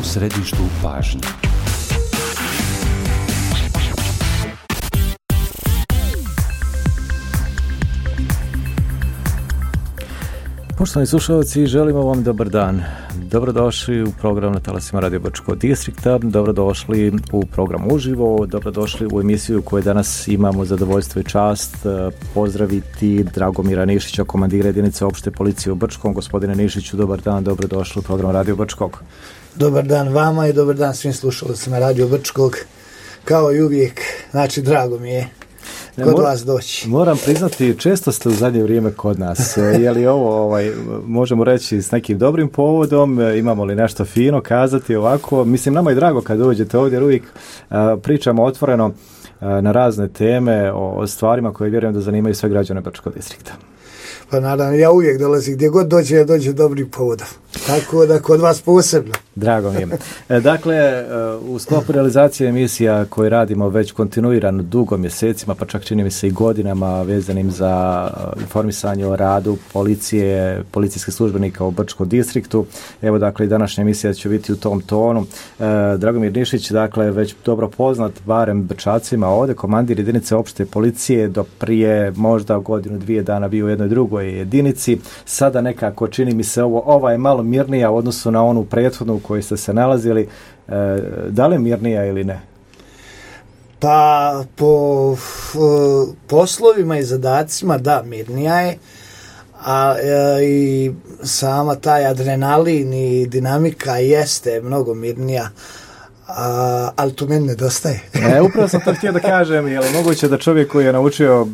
u središtu pažnje. Poštovani slušalci, želimo vam dobar dan. Dobrodošli u program na talasima Radio Brčkog distrikta, dobrodošli u program uživo, dobrodošli u emisiju koju danas imamo zadovoljstvo i čast pozdraviti Dragomira Nišića, komandira jedinice opšte policije u Brčkom. Gospodine Nišiću, dobar dan, dobrodošli u program Radio Brčkog. Dobar dan vama i dobar dan svim slušalcima Radio Brčkog. Kao i uvijek, znači drago mi je kod vas doći. Moram priznati, često ste u zadnje vrijeme kod nas. Je li ovo, možemo reći, s nekim dobrim povodom? Imamo li nešto fino kazati ovako? Mislim, nama je drago kad dođete ovdje, jer uvijek pričamo otvoreno na razne teme o stvarima koje vjerujem da zanimaju sve građane Brčkog distrikta. Pa naravno, ja uvijek dolazim, gdje god dođe dobrim povodom. Tako da kod vas posebno. Drago mi je. Dakle, u sklopu realizacije emisija koje radimo već kontinuirano dugo mjesecima, pa čak čini mi se i godinama vezanim za informisanje o radu policije, policijskih službenika u Brčkom distriktu. Evo, dakle, i današnja emisija će biti u tom tonu. Dragomir Nišić, dakle, već dobro poznat, barem Brčacima ovdje, komandir jedinice opšte policije, do prije možda godinu, 2 dana bio u jednoj drugoj jedinici. Sada nekako čini mi se ova je malo mirnija u odnosu na onu prethodnu u kojoj ste se nalazili. Da li je mirnija ili ne? Pa po poslovima i zadacima da, mirnija je, a i sama taj adrenalin i dinamika jeste mnogo mirnija, ali to meni nedostaje. Upravo sam to htio da kažem, je li moguće da čovjek koji je naučio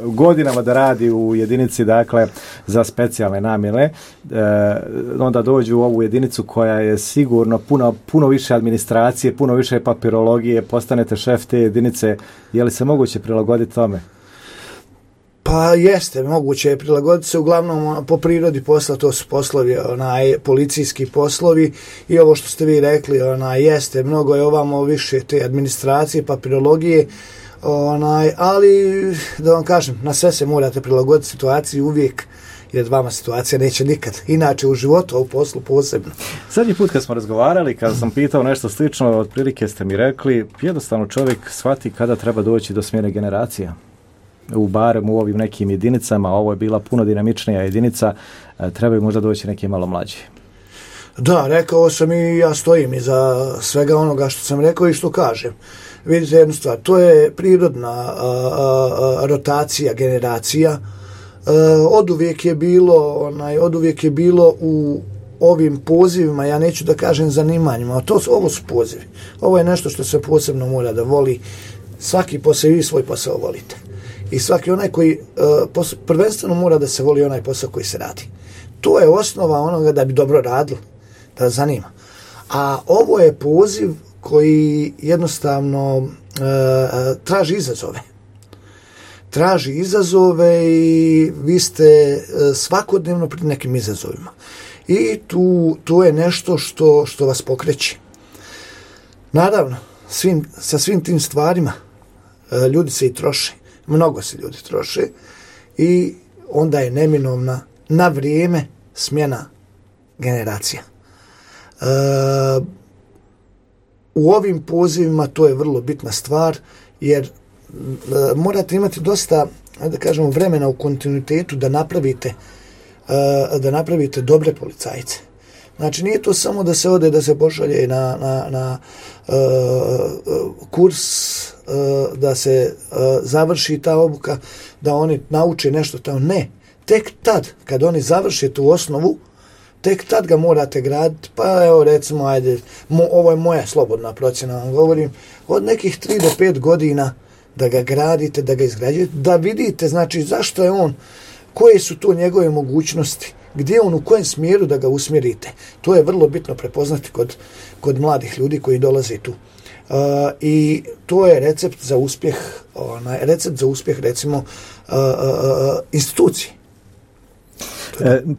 godinama da radi u jedinici, dakle, za specijalne namjene, onda dođu u ovu jedinicu koja je sigurno puno više administracije, puno više papirologije, postanete šef te jedinice, je li se moguće prilagoditi tome? Pa jeste, moguće je prilagoditi se, uglavnom po prirodi posla, to su poslovi, policijski poslovi i ovo što ste vi rekli, jeste, mnogo je ovamo više te administracije, papirologije, ali da vam kažem, na sve se morate prilagoditi situaciji uvijek, jer vama situacija neće nikad, inače u životu, a u poslu posebno. Zadnji put kad smo razgovarali, kada sam pitao nešto slično, otprilike ste mi rekli, jednostavno čovjek shvati kada treba doći do smjene generacija. Barem u ovim nekim jedinicama, ovo je bila puno dinamičnija jedinica, trebaju možda doći neki malo mlađi. Da, rekao sam i ja stojim iza svega onoga što sam rekao i što kažem. Vidite jednu stvar, to je prirodna rotacija generacija. Oduvijek je bilo u ovim pozivima, ja neću da kažem zanimanjima, ovo su pozivi. Ovo je nešto što se posebno mora da voli. Svaki posao, vi svoj posao volite. I svaki onaj koji prvenstveno mora da se voli onaj posao koji se radi. To je osnova onoga da bi dobro radili, da zanima. A ovo je poziv koji jednostavno traži izazove. Traži izazove i vi ste svakodnevno pred nekim izazovima. I tu je nešto što vas pokreće. Naravno, sa svim tim stvarima ljudi se i troše. Mnogo se ljudi troše i onda je neminovna na vrijeme smjena generacija. U ovim pozivima to je vrlo bitna stvar, jer morate imati dosta, da kažemo, vremena u kontinuitetu da napravite dobre policajce. Znači, nije to samo da se ode, da se pošalje na kurs, da se završi ta obuka, da oni nauče nešto tamo. Ne, tek tad, kad oni završe tu osnovu, tek tad ga morate graditi. Pa evo, recimo, ovo je moja slobodna procjena, vam govorim, od nekih 3 do 5 godina da ga gradite, da ga izgrađujete, da vidite, znači, zašto je on, koje su to njegove mogućnosti, gdje on, u kojem smjeru da ga usmjerite. To je vrlo bitno prepoznati kod mladih ljudi koji dolaze tu. I to je recept za uspjeh, recimo, institucije.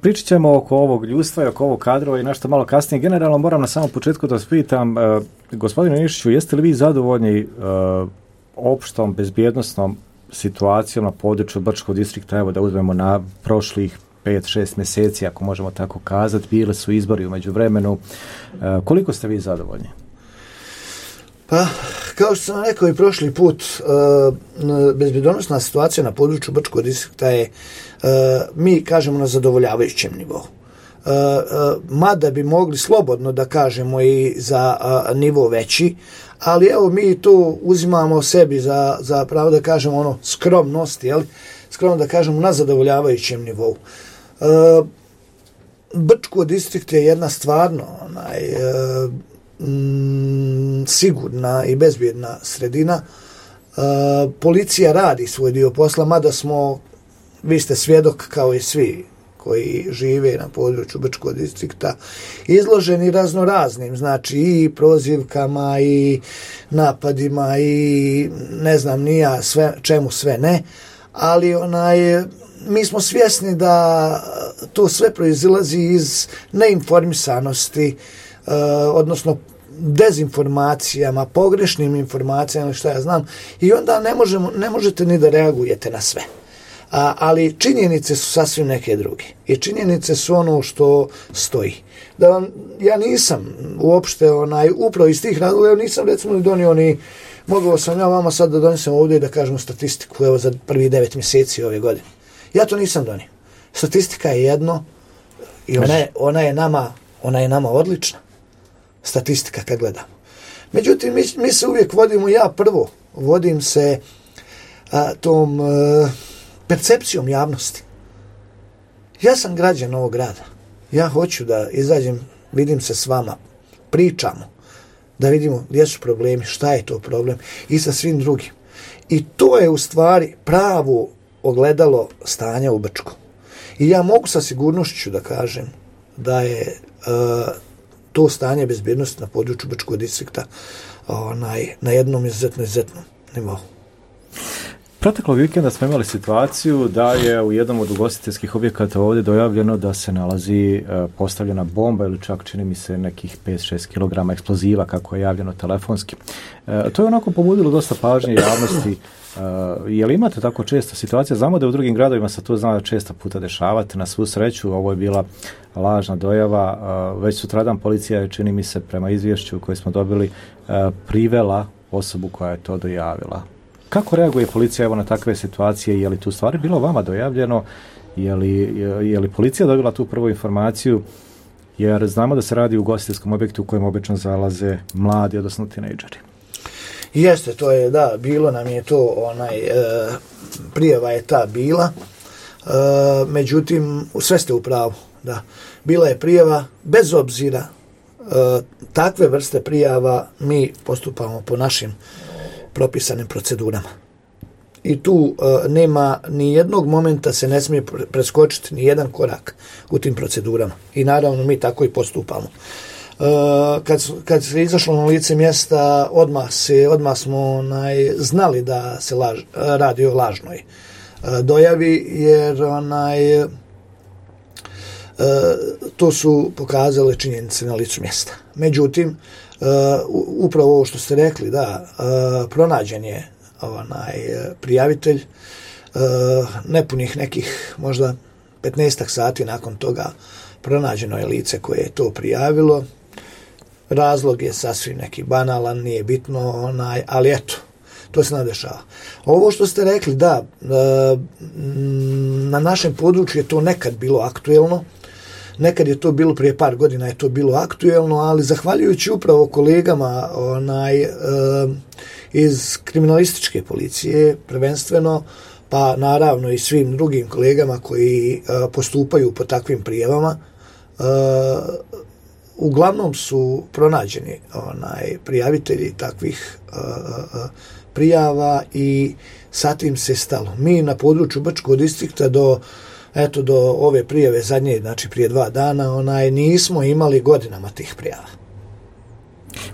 Pričat ćemo oko ovog ljudstva i oko ovog kadrova i nešto malo kasnije. Generalno moram na samom početku da vas pitam, gospodine Nišiću, jeste li vi zadovoljni opštom bezbjednosnom situacijom na području Brčkog distrikta, evo da uzmemo na prošlih 5-6 mjeseci, ako možemo tako kazati, bili su izbori u međuvremenu. Koliko ste vi zadovoljni? Pa, kao što sam rekao i prošli put, bezbjednosna situacija na području Brčkog distrikta je, mi kažemo, na zadovoljavajućem nivou. Mada bi mogli slobodno da kažemo i za nivo veći, ali evo mi to uzimamo sebi za pravo da kažemo ono skromnost, jel? Skromno da kažemo na zadovoljavajućem nivou. Brčko distrikt je jedna stvarno sigurna i bezbjedna sredina. Policija radi svoj dio posla, mada vi ste svjedok kao i svi koji žive na području Brčkog distrikta, izloženi raznoraznim, znači i prozivkama i napadima i ne znam ni ja čemu sve ne, ali mi smo svjesni da to sve proizilazi iz neinformisanosti, odnosno dezinformacijama, pogrešnim informacijama, šta ja znam, i onda ne možete ni da reagujete na sve. Ali činjenice su sasvim neke druge. I činjenice su ono što stoji. Ja nisam uopšte upravo iz tih razloga, nisam recimo ni donio mogao sam ja vama sad da donesem ovdje i da kažemo statistiku evo za prvi 9 mjeseci ove godine. Ja to nisam donio. Statistika je jedno i ona je nama odlična. Statistika kad gledamo. Međutim, mi se uvijek vodimo, ja prvo vodim se tom percepcijom javnosti. Ja sam građan ovog grada. Ja hoću da izađem, vidim se s vama, pričamo, da vidimo gdje su problemi, šta je to problem i sa svim drugim. I to je u stvari pravo ogledalo stanja u Brčku. I ja mogu sa sigurnošću da kažem da je to stanje bezbjednosti na području Brčkog distrikta na jednom izuzetnom nivou. Proteklog vikenda smo imali situaciju da je u jednom od ugostiteljskih objekata ovdje dojavljeno da se nalazi postavljena bomba ili čak čini mi se nekih 5-6 kg eksploziva kako je javljeno telefonski. To je onako pobudilo dosta pažnje javnosti. Je li imate tako često situacija? Znamo da u drugim gradovima se to zna često puta dešavati. Na svu sreću ovo je bila lažna dojava. Već sutradan policija je, čini mi se, prema izvješću koje smo dobili, privela osobu koja je to dojavila. Kako reaguje policija evo na takve situacije? Je li tu stvari bilo vama dojavljeno? Je li policija dobila tu prvu informaciju? Jer znamo da se radi u ugostiteljskom objektu u kojem obično zalaze mladi, odnosno tinejdžeri. Jeste, to je, da, bilo nam je to, prijava je ta bila, međutim, sve ste u pravu, da. Bila je prijava, bez obzira takve vrste prijava, mi postupamo po našim propisanim procedurama. I tu nema ni jednog momenta, se ne smije preskočiti ni jedan korak u tim procedurama. I naravno mi tako i postupamo. Kad se izašlo na lice mjesta, odmah smo znali da se radi o lažnoj dojavi, jer to su pokazale činjenice na licu mjesta. Međutim, upravo ovo što ste rekli, da, pronađen je prijavitelj, nepunih nekih možda 15 sati nakon toga pronađeno je lice koje je to prijavilo. Razlog je sasvim neki banalan, nije bitno, ali eto, to se nadešava. Ovo što ste rekli, da, na našem području je to nekad bilo aktuelno, nekad je to bilo, prije par godina je to bilo aktuelno, ali zahvaljujući upravo kolegama iz kriminalističke policije, prvenstveno, pa naravno i svim drugim kolegama koji postupaju po takvim prijavama, uglavnom su pronađeni prijavitelji takvih prijava i sa tim se stalo. Mi na području Brčkog distrikta do ove prijave zadnje, znači prije 2 dana, nismo imali godinama tih prijava.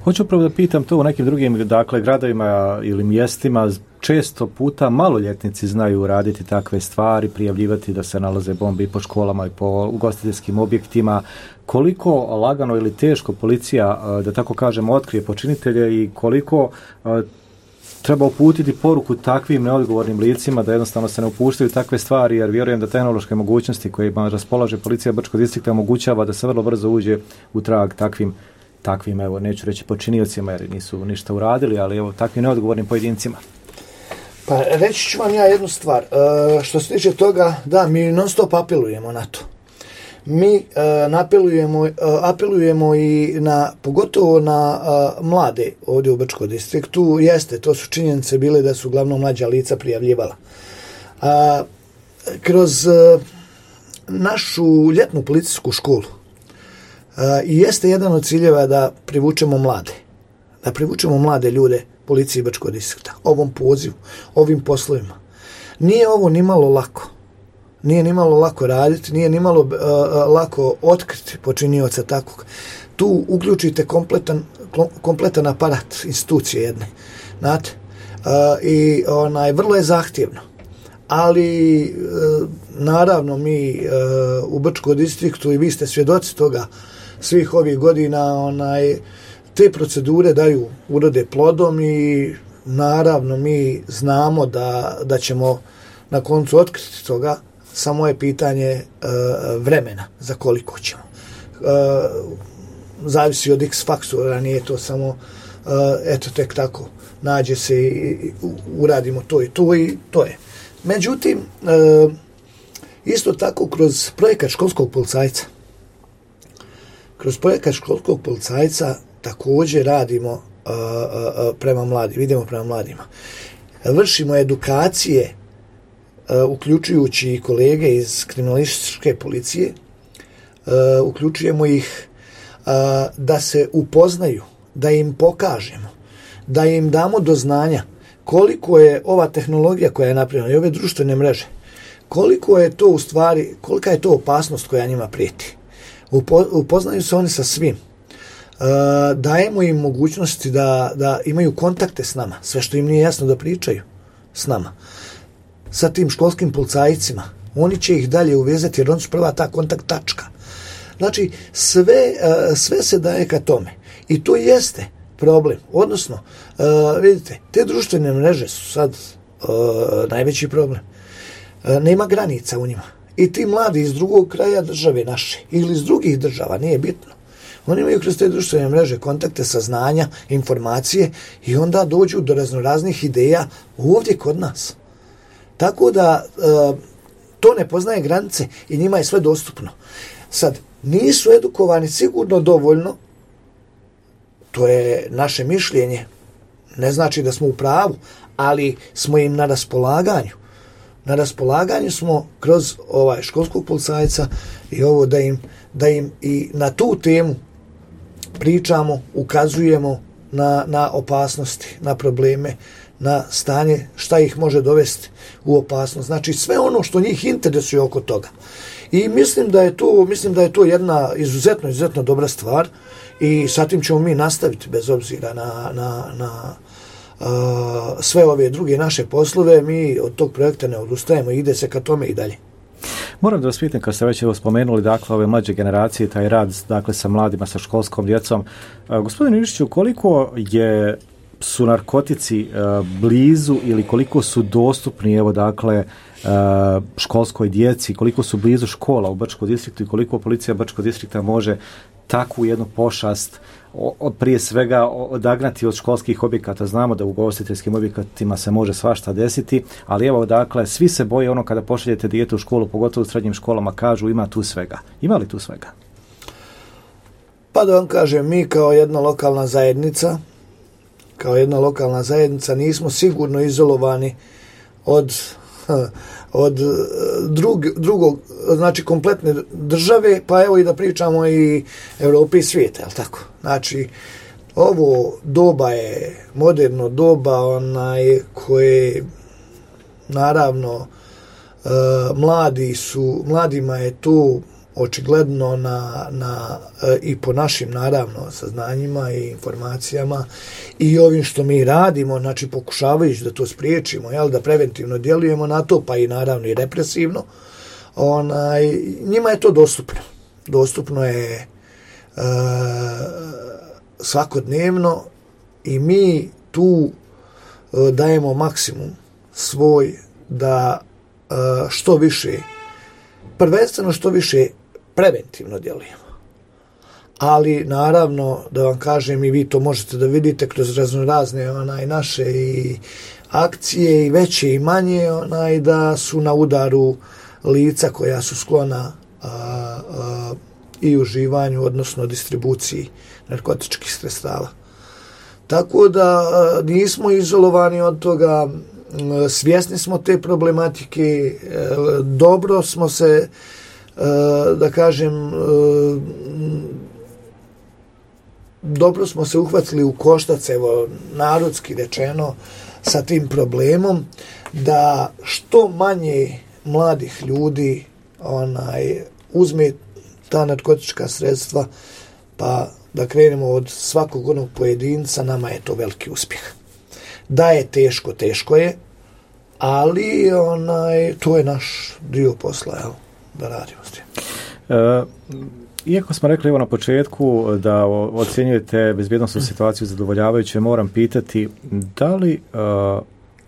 Hoću upravo da pitam to u nekim drugim, gradovima ili mjestima, često puta maloljetnici znaju raditi takve stvari, prijavljivati da se nalaze bombe i po školama i po ugostiteljskim objektima. Koliko lagano ili teško policija, da tako kažemo, otkrije počinitelje i koliko treba uputiti poruku takvim neodgovornim licima da jednostavno se ne upuštaju takve stvari, jer vjerujem da tehnološke mogućnosti kojima raspolaže policija Brčkog distrikta omogućava da se vrlo brzo uđe u trag takvim, evo, neću reći počiniocima jer nisu ništa uradili, ali evo, takvim neodgovornim pojedincima. Pa reći ću vam ja jednu stvar. Što se tiče toga, da, mi non stop apelujemo na to. Mi apelujemo i pogotovo na mlade ovdje u Brčkom distriktu. Jeste, to su činjenice bile da su uglavnom mlađa lica prijavljivala. Kroz našu ljetnu policijsku školu jeste jedan od ciljeva da privučemo mlade ljude policiji Brčkog distrikta, ovom pozivu, ovim poslovima. Nije ovo nimalo lako. Nije nimalo lako raditi, nije nimalo lako otkriti počinioca takvog. Tu uključite kompletan aparat institucije jedne. Znate? I vrlo je zahtjevno. Ali naravno mi u Brčkom distriktu, i vi ste svjedoci toga svih ovih godina, te procedure urode plodom i naravno mi znamo da ćemo na koncu otkriti toga, samo je pitanje vremena za koliko ćemo. Zavisi od X faktora, nije to samo eto tek tako nađe se i uradimo to i to je. Međutim, isto tako kroz projekat školskog policajca također radimo prema mladima. Vršimo edukacije, uključujući i kolege iz kriminalističke policije, uključujemo ih da se upoznaju, da im pokažemo, da im damo do znanja koliko je ova tehnologija koja je napravljena i ove društvene mreže, kolika je to opasnost koja njima prijeti. Upoznaju se oni sa svim. Dajemo im mogućnosti da imaju kontakte s nama, sve što im nije jasno da pričaju s nama. Sa tim školskim policajcima, oni će ih dalje uvezati jer oni su prva ta kontakt tačka. Znači, sve se daje ka tome. I to jeste problem. Odnosno, vidite, te društvene mreže su sad najveći problem. Nema granica u njima. I ti mladi iz drugog kraja države naše ili iz drugih država, nije bitno. Oni imaju kroz te društvene mreže kontakte, saznanja, informacije i onda dođu do raznoraznih ideja ovdje kod nas. Tako da to ne poznaje granice i njima je sve dostupno. Sad, nisu edukovani sigurno dovoljno, to je naše mišljenje, ne znači da smo u pravu, ali smo im na raspolaganju. Na raspolaganju smo kroz školskog policajca i ovo da im i na tu temu pričamo, ukazujemo na opasnosti, na probleme, na stanje šta ih može dovesti u opasnost. Znači sve ono što njih interesuje oko toga. I mislim da je to jedna izuzetno dobra stvar i sa tim ćemo mi nastaviti bez obzira na sve ove druge naše poslove. Mi od tog projekta ne odustajemo i ide se ka tome i dalje. Moram da vas pitam, kad ste već spomenuli dakle ove mlađe generacije, taj rad dakle sa mladima, sa školskom djecom, gospodine Iličiću, koliko su narkotici blizu ili koliko su dostupni evo dakle školskoj djeci, koliko su blizu škola u Brčkom distriktu i koliko policija Brčkog distrikta može takvu jednu pošast prije svega odagnati od školskih objekata. Znamo da u ugostiteljskim objektima se može svašta desiti, ali evo dakle svi se boje ono kada pošaljete dijete u školu, pogotovo u srednjim školama, kažu ima tu svega. Ima li tu svega? Pa da vam kažem, mi kao jedna lokalna zajednica nismo sigurno izolovani od drugog, znači kompletne države, pa evo i da pričamo i Europe i svijeta, jel tako? Znači, ovo doba je moderno doba, koje naravno mladima je tu očigledno i po našim naravno saznanjima i informacijama i ovim što mi radimo, znači pokušavajući da to spriječimo, da preventivno djelujemo na to, pa i naravno i represivno, njima je to dostupno. Dostupno je svakodnevno i mi tu dajemo maksimum svoj da što više, prvenstveno što više preventivno djelujemo. Ali naravno, da vam kažem, i vi to možete da vidite kroz raznorazne naše i akcije i veće i manje, da su na udaru lica koja su sklona i uživanju, odnosno distribuciji narkotičkih sredstava. Tako da nismo izolovani od toga, svjesni smo te problematike, dobro smo se, da kažem, dobro smo se uhvatili u koštac, evo, narodski rečeno, sa tim problemom, da što manje mladih ljudi uzme ta narkotička sredstva, pa da krenemo od svakog onog pojedinca, nama je to veliki uspjeh. Da je teško, teško je, ali to je naš dio posla, evo, da radimo s tim. Iako smo rekli na početku da ocjenjujete bezbjednosnu situaciju zadovoljavajuće, moram pitati da li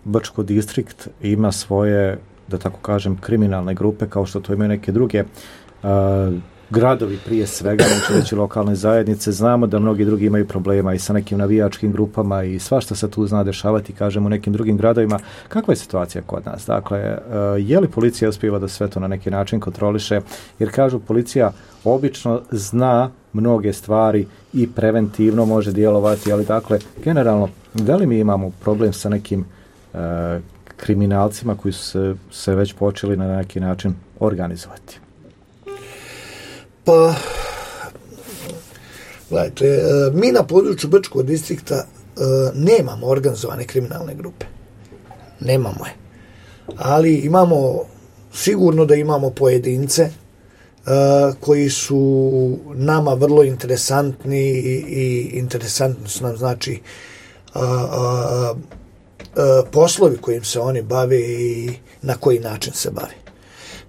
Brčko distrikt ima svoje, da tako kažem, kriminalne grupe kao što to imaju neke druge gradovi prije svega, neću lokalne zajednice. Znamo da mnogi drugi imaju problema i sa nekim navijačkim grupama i svašta se tu zna dešavati, kažem, u nekim drugim gradovima. Kakva je situacija kod nas? Dakle, je li policija uspijeva da sve to na neki način kontroliše? Jer kažu, policija obično zna mnoge stvari i preventivno može djelovati, ali dakle, generalno, da li mi imamo problem sa nekim kriminalcima koji su se već počeli na neki način organizovati? Pa, gledajte, mi na području Brčkog distrikta nemamo organizovane kriminalne grupe. Nemamo je. Ali imamo, sigurno da imamo pojedince koji su nama vrlo interesantni i interesantno su nam, znači, poslovi kojim se oni bave i na koji način se bave.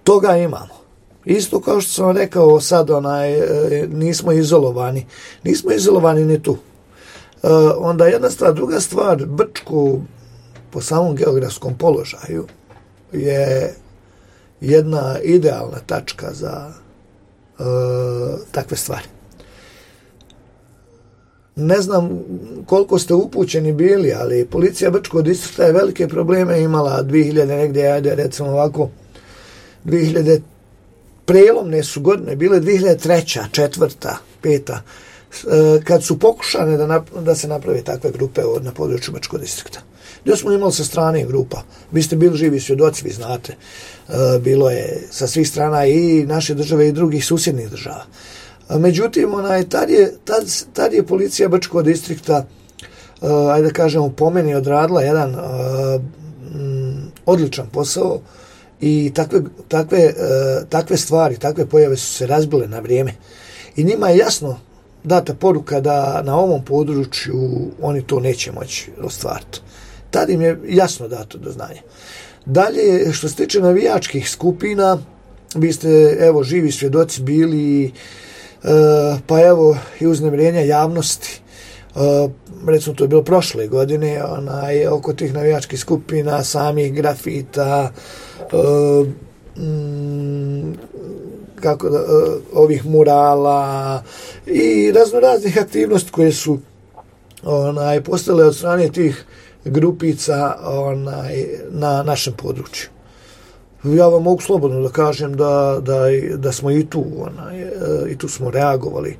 Toga imamo. Isto kao što sam rekao sad, nismo izolovani. Nismo izolovani ni tu. Onda jedna stvar, druga stvar, Brčko po samom geografskom položaju je jedna idealna tačka za takve stvari. Ne znam koliko ste upućeni bili, ali policija Brčkog distrikta je velike probleme imala 2000 negdje, ajde recimo ovako, 2000 prelomne su godine bile 2003. 4., 5. Kad su pokušane da se naprave takve grupe na području Brčkog distrikta. Gdje smo imali sa strane grupa. Vi ste bili živi svjedoci, vi znate. Bilo je sa svih strana i naše države i drugih susjednih država. Međutim, tad je policija Brčkog distrikta, ajde da kažemo, po meni odradila jedan odličan posao i takve stvari, takve pojave su se razbile na vrijeme. I njima je jasno data poruka da na ovom području oni to neće moći ostvariti. Tad im je jasno dato do znanja. Dalje, što se tiče navijačkih skupina, vi ste, evo, živi svjedoci bili, pa evo i uznemirenja javnosti. Recimo, to je bilo prošle godine, oko tih navijačkih skupina, samih grafita, ovih murala i raznoraznih aktivnosti koje su postale od strane tih grupica na našem području. Ja vam mogu slobodno da kažem da smo i tu smo reagovali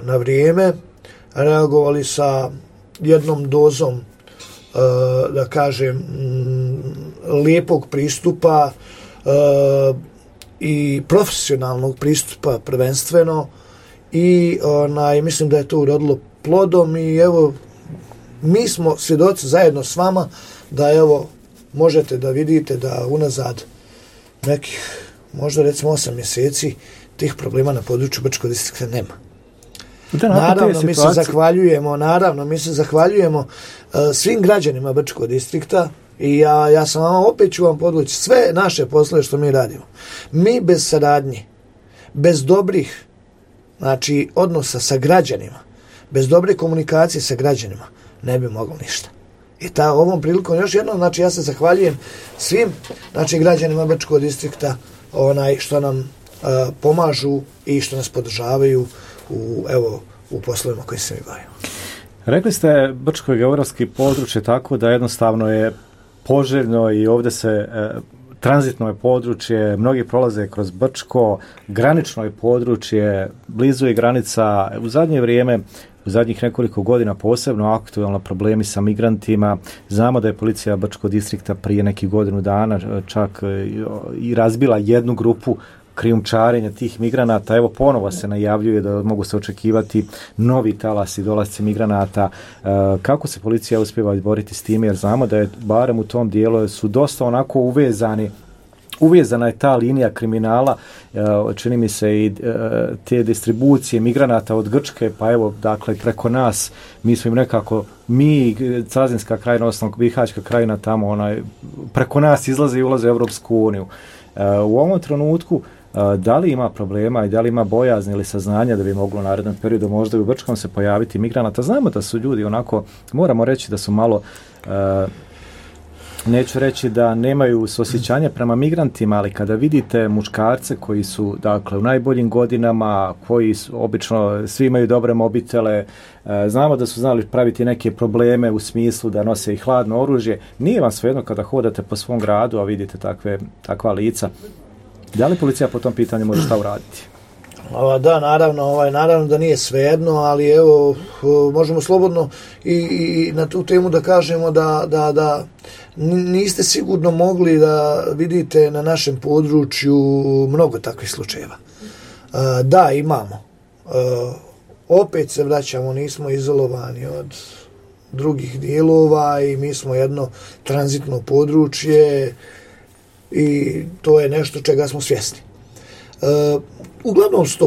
na vrijeme, reagovali sa jednom dozom, da kažem, lijepog pristupa i profesionalnog pristupa prvenstveno i mislim da je to urodilo plodom i evo, mi smo svjedoci zajedno s vama da evo možete da vidite da unazad nekih možda recimo 8 mjeseci tih problema na području Brčkog distrikta nema. Naravno, mi se zahvaljujemo svim građanima Brčkog distrikta i ja sam vama, opet ću vam podvući sve naše poslove što mi radimo. Mi bez saradnje, bez dobrih, znači, odnosa sa građanima, bez dobre komunikacije sa građanima, ne bi moglo ništa. I ovom prilikom još jednom, znači ja se zahvaljujem svim, znači građanima Brčkog distrikta što nam pomažu i što nas podržavaju u poslovima koji se mi bavimo. Rekli ste Brčko je geografski područje tako da jednostavno je poželjno i ovdje se tranzitno je područje, mnogi prolaze kroz Brčko, granično je područje, blizu je granica, u zadnje vrijeme, u zadnjih nekoliko godina posebno aktualno problemi sa migrantima. Znamo da je policija Brčkog distrikta prije nekih godinu dana čak i razbila jednu grupu krijumčarenja tih migranata. Evo ponovo se najavljuje da mogu se očekivati novi talasi dolasci migranata. Kako se policija uspijeva izboriti s time, jer znamo da je barem u tom dijelu su dosta onako uvezana je ta linija kriminala, čini mi se i te distribucije migranata od Grčke, pa evo, dakle, preko nas, mi smo im nekako, Cazinska krajina, osnovno Bihaćka krajina, tamo, preko nas izlaze i ulaze u Europsku uniju. U ovom trenutku, da li ima problema i da li ima bojazni ili saznanja da bi moglo u narednom periodu možda i u Brčkom se pojaviti migranata? Znamo da su ljudi onako, moramo reći da su malo... Neću reći da nemaju suosjećanja prema migrantima, ali kada vidite muškarce koji su, dakle, u najboljim godinama, koji su, obično svi imaju dobre mobitele, znamo da su znali praviti neke probleme u smislu da nose i hladno oružje, nije vam svejedno kada hodate po svom gradu, a vidite takva lica. Da li policija po tom pitanju može šta uraditi? Da, naravno da nije svejedno, ali evo, možemo slobodno i na tu temu da kažemo da niste sigurno mogli da vidite na našem području mnogo takvih slučajeva. Da, imamo. Opet se vraćamo, nismo izolovani od drugih dijelova i mi smo jedno tranzitno područje i to je nešto čega smo svjesni. Uglavnom su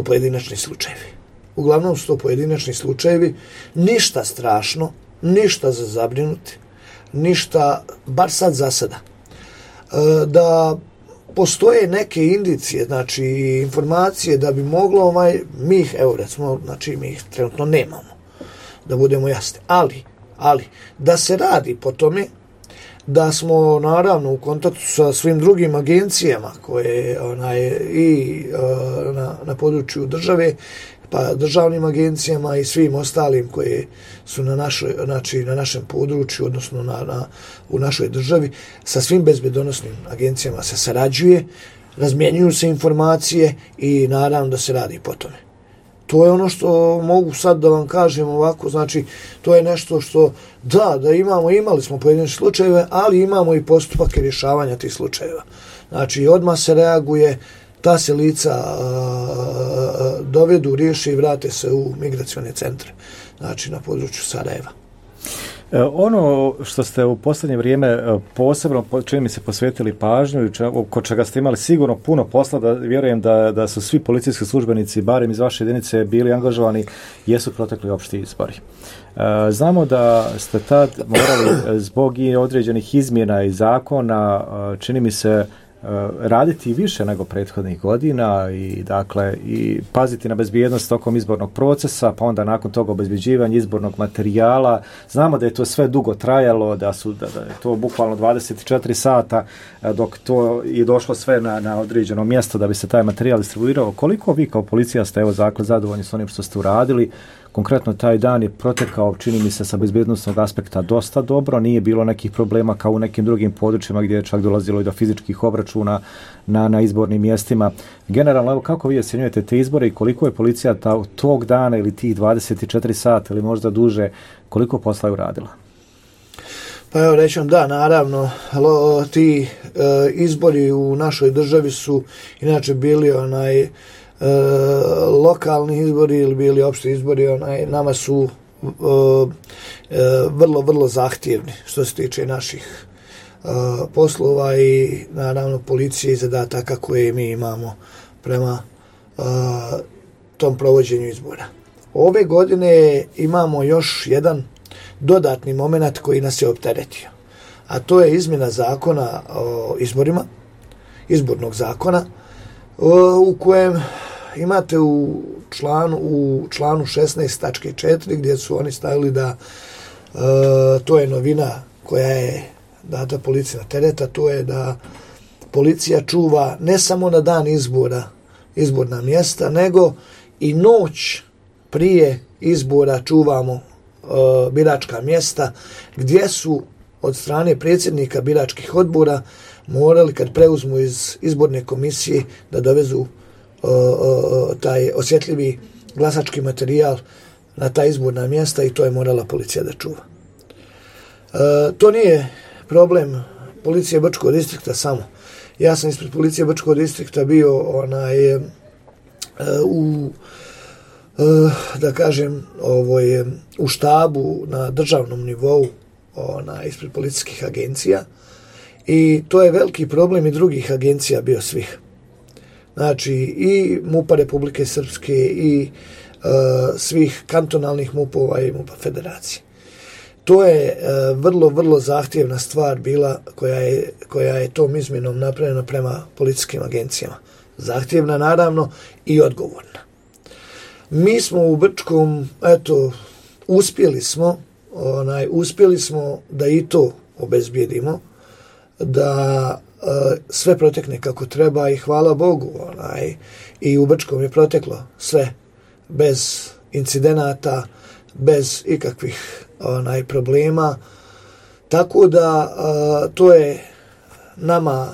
to pojedinačni slučajevi, ništa strašno, ništa za zabrinuti, ništa, bar sad za sada. Da postoje neke indicije, znači informacije da bi moglo mi ih trenutno nemamo, da budemo jasni, ali da se radi po tome, da smo naravno u kontaktu sa svim drugim agencijama koje na području države, pa državnim agencijama i svim ostalim koje su na našem području, odnosno u našoj državi, sa svim bezbednosnim agencijama se sarađuje, razmjenjuju se informacije i naravno da se radi po tome. To je ono što mogu sad da vam kažem ovako, znači to je nešto što da imali smo pojedine slučajeve, ali imamo i postupak rješavanja tih slučajeva. Znači odmah se reaguje, ta se lica dovedu, riješi i vrate se u migracione centre, znači na području Sarajeva. Ono što ste u posljednje vrijeme posebno, čini mi se, posvetili pažnju i kod čega ste imali sigurno puno posla, da vjerujem da su svi policijski službenici, barem iz vaše jedinice, bili angažovani, jesu protekli opšti izbori. Znamo da ste tad morali zbog i određenih izmjena i zakona, čini mi se, raditi više nego prethodnih godina i dakle i paziti na bezbjednost tokom izbornog procesa, pa onda nakon toga obezbeđivanje izbornog materijala. Znamo da je to sve dugo trajalo, da je to bukvalno 24 sata dok to je došlo sve na određeno mjesto da bi se taj materijal distribuirao. Koliko vi kao policija ste zadovoljni s onim što ste uradili? Konkretno taj dan je protekao, čini mi se, sa bezbjednostnog aspekta dosta dobro, nije bilo nekih problema kao u nekim drugim područjima gdje je čak dolazilo i do fizičkih obračuna na izbornim mjestima. Generalno, evo, kako vi ocjenjujete te izbore i koliko je policija tog dana ili tih 24 sata ili možda duže, koliko posla je uradila? Pa evo rećem, da, naravno, ti izbori u našoj državi su inače bili lokalni izbori ili bili opšti izbori, nama su vrlo, vrlo zahtjevni što se tiče naših poslova i naravno policije i zadataka koje mi imamo prema tom provođenju izbora. Ove godine imamo još jedan dodatni moment koji nas je opteretio, a to je izmjena zakona o izborima, izbornog zakona, u kojem imate u članu 16.4 gdje su oni stavili da to je novina koja je data policiji na tereta, to je da policija čuva ne samo na dan izborna mjesta, nego i noć prije izbora čuvamo biračka mjesta gdje su od strane predsjednika biračkih odbora morali, kad preuzmu iz izborne komisije, da dovezu taj osjetljivi glasački materijal na ta izborna mjesta i to je morala policija da čuva. To nije problem policije Brčkog distrikta samo. Ja sam ispred policije Brčkog distrikta bio u štabu na državnom nivou ispred policijskih agencija i to je veliki problem i drugih agencija bio svih. Znači i MUP-a Republike Srpske i svih kantonalnih MUP-ova i MUP-a Federacije. To je vrlo, vrlo zahtjevna stvar bila koja je tom izmjenom napravljena prema policijskim agencijama. Zahtjevna naravno i odgovorna. Mi smo u Brčkom, uspjeli smo da i to obezbijedimo, da sve protekne kako treba i hvala Bogu, i u Brčkom je proteklo sve bez incidenata, bez ikakvih problema, tako da to je nama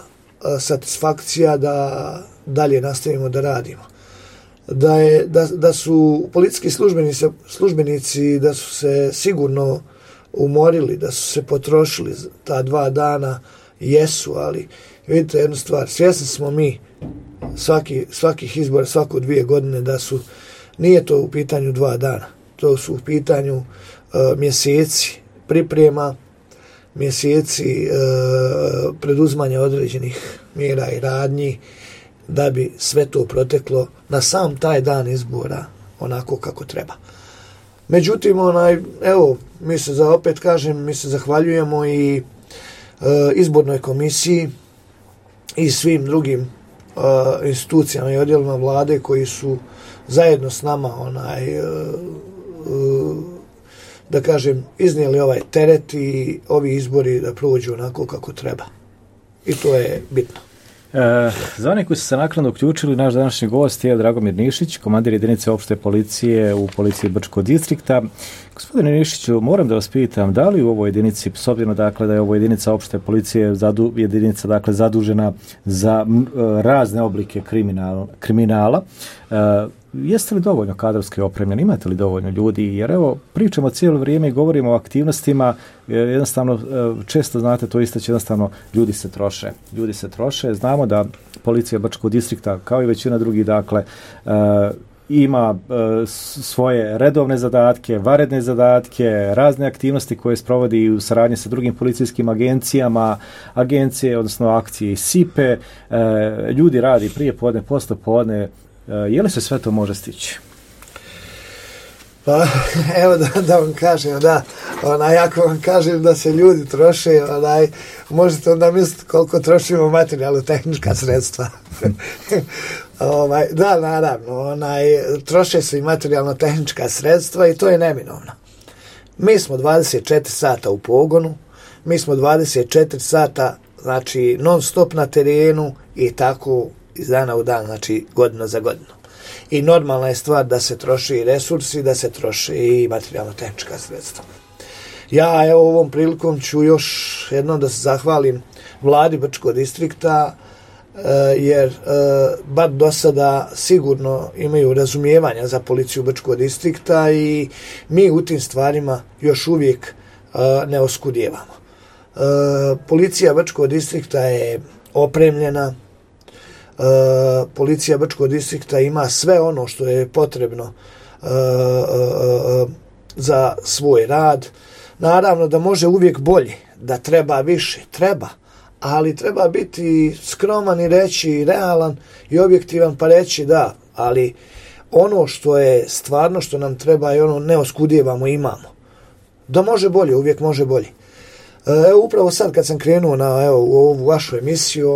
satisfakcija da dalje nastavimo da radimo. Da su policijski službenici da su se sigurno umorili, da su se potrošili ta 2 dana, jesu, ali vidite jednu stvar, svjesni smo mi svakih izbora, svako 2 godine nije to u pitanju 2 dana, to su u pitanju mjeseci priprema, mjeseci preduzmanja određenih mjera i radnji da bi sve to proteklo na sam taj dan izbora onako kako treba. Međutim, mi se zahvaljujemo i izbornoj komisiji i svim drugim institucijama i odjelima vlade koji su zajedno s nama iznijeli ovaj teret i ovi izbori da prođu onako kako treba. I to je bitno. Za one koji su se naknadno uključili, naš današnji gost je Dragomir Nišić, komandir jedinice opšte policije u policiji Brčkog distrikta. Gospodine Nišiću, moram da vas pitam, da li u ovoj jedinici, s obzirom da je ovo jedinica opšte policije, jedinica zadužena za razne oblike kriminala, jeste li dovoljno kadrovski opremljeni, imate li dovoljno ljudi, jer pričamo cijelo vrijeme i govorimo o aktivnostima, jednostavno često znate to istaći, jednostavno ljudi se troše, znamo da policija Brčkog distrikta kao i većina drugih ima svoje redovne zadatke, vanredne zadatke, razne aktivnosti koje sprovodi u saradnji sa drugim policijskim agencije, odnosno akcije i SIPE, ljudi radi prije podne, posle podne. Je li se sve to može stići? Pa, evo da vam kažem, ako vam kažem da se ljudi troše, možete onda misliti koliko trošimo materijalno-tehnička sredstva. Da, naravno, troše se i materijalno-tehnička sredstva i to je neminovno. Mi smo 24 sata u pogonu, mi smo 24 sata, znači, non stop na terenu i tako iz dana u dan, znači godinu za godinu. I normalna je stvar da se troši i resursi, da se troši i materijalno-tehnička sredstva. Ja ovom prilikom ću još jednom da se zahvalim vladi Brčkog distrikta, jer bar do sada sigurno imaju razumijevanja za policiju Brčkog distrikta i mi u tim stvarima još uvijek ne oskudijevamo. Policija Brčkog distrikta je opremljena, policija Brčkog distrikta ima sve ono što je potrebno za svoj rad. Naravno da može uvijek bolje, da treba više, treba, ali treba biti skroman i reći realan i objektivan pa reći da, ali ono što je stvarno što nam treba i ono ne oskudijevamo imamo. Da može bolje, uvijek može bolje. Upravo sad kad sam krenuo u ovu vašu emisiju,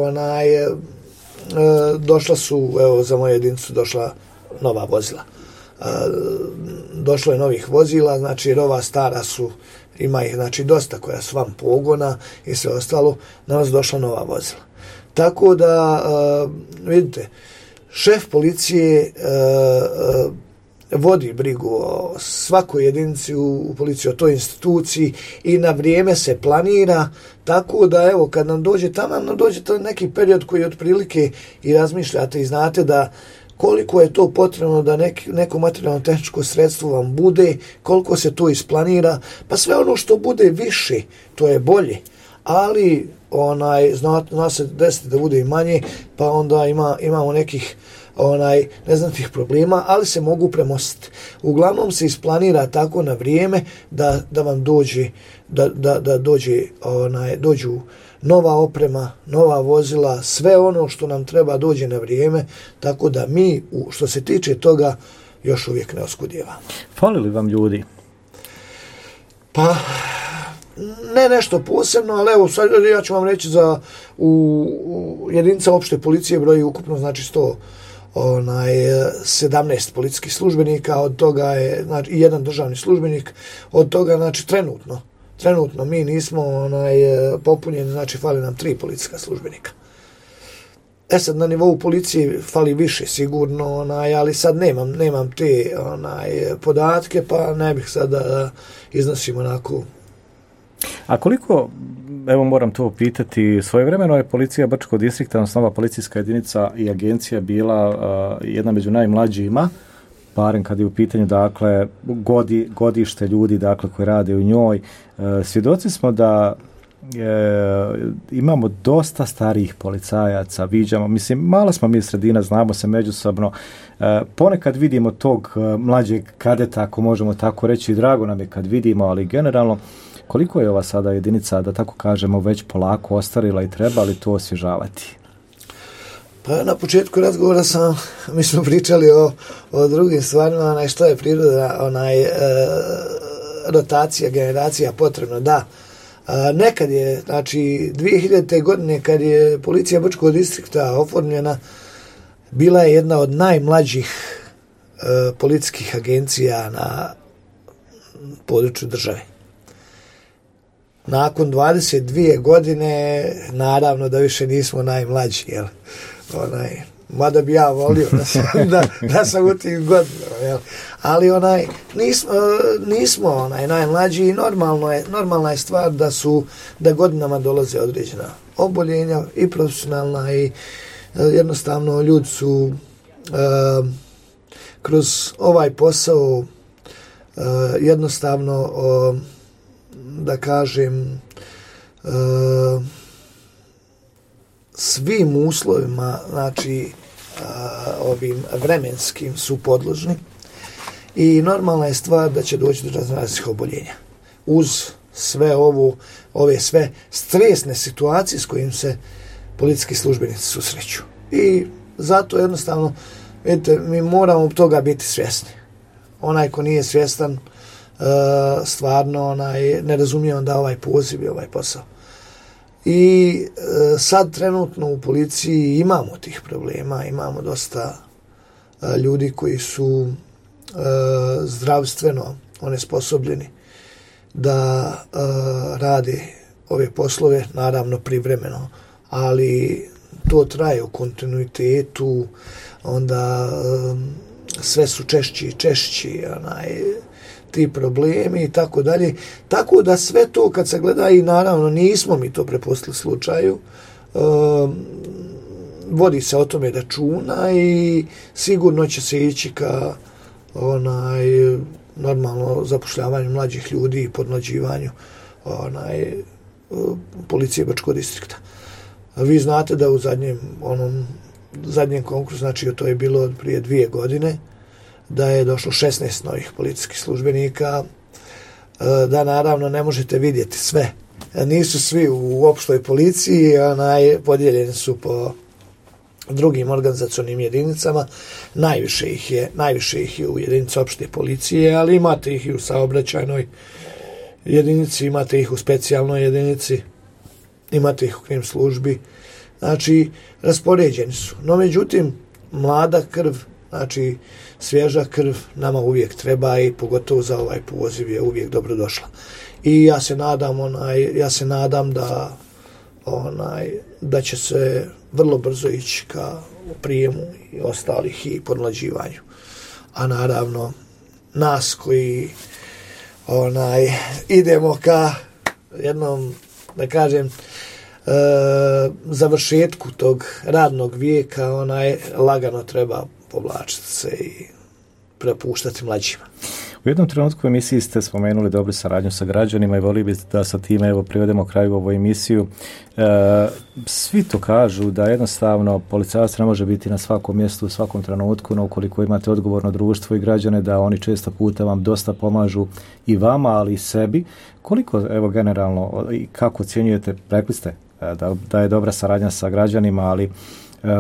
došla su, za moju jedinicu došla nova vozila. Došlo je novih vozila, znači jer ova stara su ima ih znači dosta koja su van pogona i sve ostalo, na nas došla nova vozila. Tako da, vidite, šef policije vodi brigu o svakoj jedinici u policiji, o toj instituciji i na vrijeme se planira, tako da evo kad nam dođe tamo, nam dođe to neki period koji otprilike i razmišljate i znate da koliko je to potrebno da neko materijalno tehničko sredstvo vam bude, koliko se to isplanira, pa sve ono što bude više, to je bolje, ali zna se desiti da bude i manje, pa onda imamo nekih neznatnih problema, ali se mogu premostiti. Uglavnom se isplanira tako na vrijeme da vam dođu nova oprema, nova vozila, sve ono što nam treba dođe na vrijeme, tako da mi, što se tiče toga, još uvijek ne oskudijevamo. Fali li vam ljudi? Pa, ne nešto posebno, ali evo, sad ja ću vam reći u jedinica opšte policije broji ukupno, znači 17 policijskih službenika, od toga je znači, i jedan državni službenik, od toga znači trenutno mi nismo popunjeni, znači fali nam 3 policijska službenika. Sad na nivou policije fali više sigurno, ali sad nemam te podatke, pa ne bih sad da iznosim onako. A koliko, evo moram to pitati, svojevremeno je policija Brčkog distrikta, odnosno nova policijska jedinica i agencija bila jedna među najmlađima, barem kad je u pitanju dakle godište ljudi dakle koji rade u njoj. Svjedoci smo da imamo dosta starijih policajaca, viđamo, mislim, mala smo mi sredina, znamo se međusobno, ponekad vidimo tog mlađeg kadeta, ako možemo tako reći, drago nam je kad vidimo, ali generalno koliko je ova sada jedinica, da tako kažemo, već polako ostarila i treba li to osvježavati? Pa na početku razgovora mi smo pričali o drugim stvarima, što je priroda, rotacija, generacija potrebna, da. Nekad je, znači 2000. godine kad je policija Brčkog distrikta oformljena, bila je jedna od najmlađih policijskih agencija na području države. Nakon 22 godine, naravno da više nismo najmlađi, jel? Mada bi ja volio da sam u tim godinama, jel? Ali nismo najmlađi i normalna je stvar da godinama dolaze određena oboljenja i profesionalna i jednostavno ljudi su kroz ovaj posao jednostavno da kažem svim uslovima, znači ovim vremenskim su podložni i normalna je stvar da će doći do raznih oboljenja. Uz sve ove sve stresne situacije s kojim se policijski službenici susreću. I zato jednostavno, vidite, mi moramo toga biti svjesni. Onaj ko nije svjestan, stvarno ne razumije onda ovaj poziv i ovaj posao. I sad trenutno u policiji imamo tih problema, imamo dosta ljudi koji su zdravstveno onesposobljeni da rade ove poslove, naravno privremeno, ali to traje u kontinuitetu, onda sve su češći ti problemi i tako dalje. Tako da sve to kad se gleda i naravno nismo mi to prepustili slučaju, vodi se o tome računa i sigurno će se ići ka normalno zapošljavanju mlađih ljudi i podmlađivanju policije Brčkog distrikta. Vi znate da u zadnjem konkursu, znači to je bilo prije 2 godine, da je došlo 16 novih policijskih službenika, da naravno ne možete vidjeti sve. Nisu svi u opštoj policiji, podijeljeni su po drugim organizacionim jedinicama, najviše ih je u jedinici opšte policije, ali imate ih i u saobraćajnoj jedinici, imate ih u specijalnoj jedinici, imate ih u krim službi, znači raspoređeni su. No međutim, mlada krv, znači svježa krv nama uvijek treba i pogotovo za ovaj poziv je uvijek dobro došla. I ja se nadam da će se vrlo brzo ići ka prijemu i ostalih i podmlađivanju. A naravno nas koji idemo ka jednom, da kažem, završetku tog radnog vijeka, lagano treba povlačiti se i prepuštati mlađima. U jednom trenutku u emisiji ste spomenuli dobru saradnju sa građanima i volio bih da sa time privedemo kraju ovu emisiju. Svi to kažu da jednostavno policajac ne može biti na svakom mjestu u svakom trenutku, no ukoliko imate odgovorno društvo i građane da oni često puta vam dosta pomažu i vama, ali i sebi. Koliko generalno i kako ocjenjujete, rekli ste da je dobra saradnja sa građanima, ali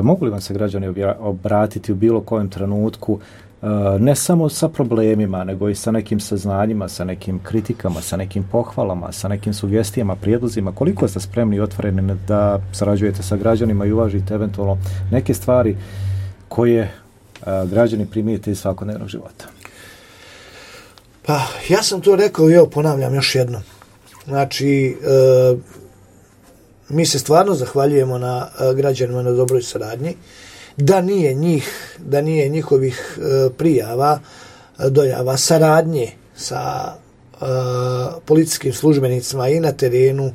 mogu li vam se građani obratiti u bilo kojem trenutku, ne samo sa problemima, nego i sa nekim saznanjima, sa nekim kritikama, sa nekim pohvalama, sa nekim sugestijama, prijedlozima? Koliko ste spremni i otvoreni da sarađujete sa građanima i uvažite eventualno neke stvari koje građani primijete iz svakodnevnog života? Pa, ja sam to rekao i evo ponavljam još jednom. Znači, mi se stvarno zahvaljujemo na građanima na dobroj saradnji. Da nije njihovih prijava, dojava, saradnje sa policijskim službenicima i na terenu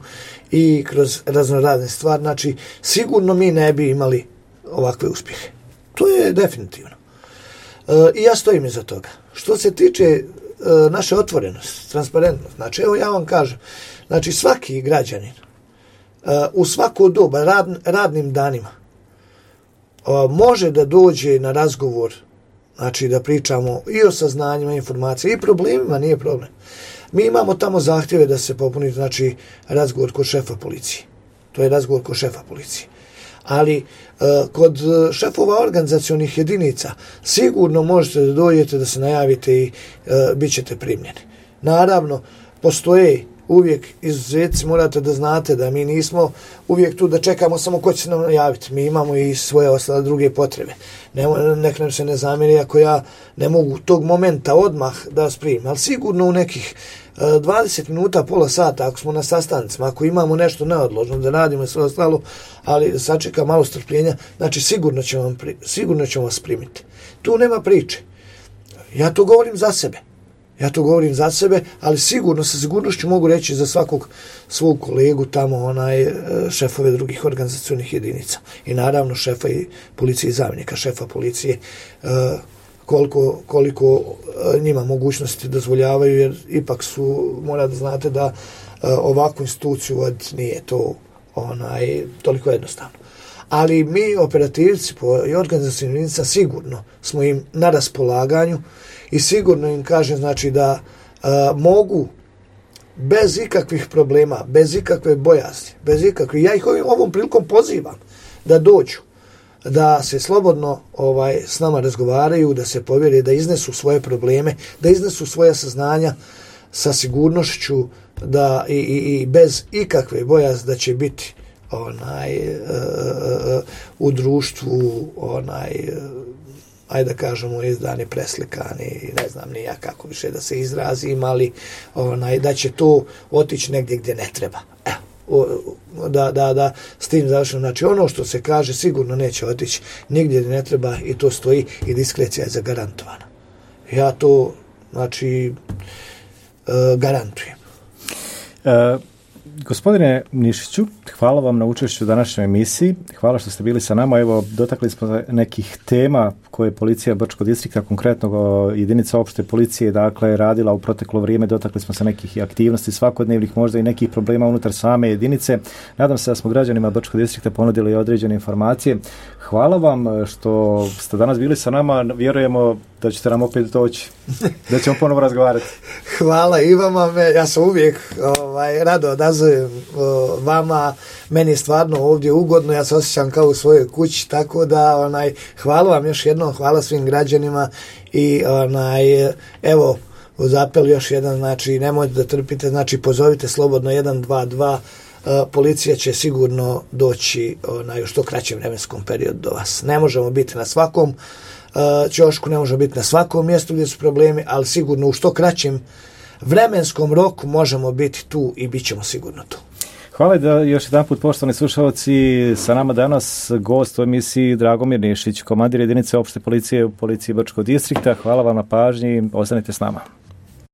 i kroz raznorazne stvari, znači sigurno mi ne bi imali ovakve uspjehe. To je definitivno. I ja stojim iza toga. Što se tiče naše otvorenosti, transparentnost, znači evo ja vam kažem, znači svaki građanin u svako doba radnim danima može da dođe na razgovor, znači da pričamo i o saznanjima, informacijama i problemima, nije problem. Mi imamo tamo zahtjeve da se popuni, znači, razgovor kod šefa policije. To je razgovor kod šefa policije. Ali kod šefova organizacionih jedinica sigurno možete da dođete, da se najavite i bit ćete primljeni. Naravno, postoje uvijek izuzeci, morate da znate da mi nismo uvijek tu da čekamo samo ko će se nam javiti. Mi imamo i svoje ostale druge potrebe. Nek nam se ne zamjeri ako ja ne mogu tog momenta odmah da vas primim, ali sigurno u nekih 20 minuta, pola sata, ako smo na sastancima, ako imamo nešto neodložno da radimo i sve ostalo, ali sačeka malo strpljenja, znači sigurno ćemo vas primiti. Tu nema priče. Ja to govorim za sebe, ali sigurno, sa sigurnošću mogu reći za svakog svog kolegu tamo, šefove drugih organizacionih jedinica. I naravno šefa i policije i zamjenika šefa policije, koliko njima mogućnosti dozvoljavaju, jer ipak mora da znate da ovakvu instituciju nije to toliko jednostavno. Ali mi, operativci i organizacijnim jedinicama, sigurno smo im na raspolaganju i sigurno im kažem, znači, da mogu bez ikakvih problema, bez ikakve bojazni, ja ih ovom prilikom pozivam da dođu, da se slobodno s nama razgovaraju, da se povjere, da iznesu svoje probleme, da iznesu svoja saznanja sa sigurnošću da i bez ikakve bojazni da će biti u društvu ajde da kažemo izdani, preslikani, ne znam ni ja kako više da se izrazim, ali da će to otići negdje gdje ne treba. Da s tim završeno. Znači ono što se kaže sigurno neće otići nigdje gdje ne treba i to stoji i diskrecija je zagarantovana. Ja to, znači, garantujem. Gospodine Nišiću, hvala vam na učešću u današnjoj emisiji. Hvala što ste bili sa nama. Evo, dotakli smo nekih tema koje policija Brčkog distrikta, konkretno jedinica opšte policije, dakle, radila u proteklo vrijeme. Dotakli smo se nekih aktivnosti svakodnevnih, možda i nekih problema unutar same jedinice. Nadam se da smo građanima Brčkog distrikta ponudili određene informacije. Hvala vam što ste danas bili sa nama. Vjerujemo da ćete nam opet doći, da ćemo ponovo razgovarati. Hvala i vama. Ja sam uvijek rado odazovem vama. Meni je stvarno ovdje ugodno. Ja se osjećam kao u svojoj kući, tako da hvala vam još jednom, hvala svim građanima i evo uz apel još jedan, znači nemojte da trpite, znači pozovite slobodno 122, policija će sigurno doći u što kraćem vremenskom periodu do vas. Ne možemo biti na svakom ćošku, ne može biti na svakom mjestu gdje su problemi, ali sigurno u što kraćem vremenskom roku možemo biti tu i bit ćemo sigurno tu. Hvala da još jedan put, poštovani slušalci, sa nama danas gost u emisiji Dragomir Nišić, komandir jedinice opšte policije u policiji Brčkog distrikta. Hvala vam na pažnji, ostanite s nama.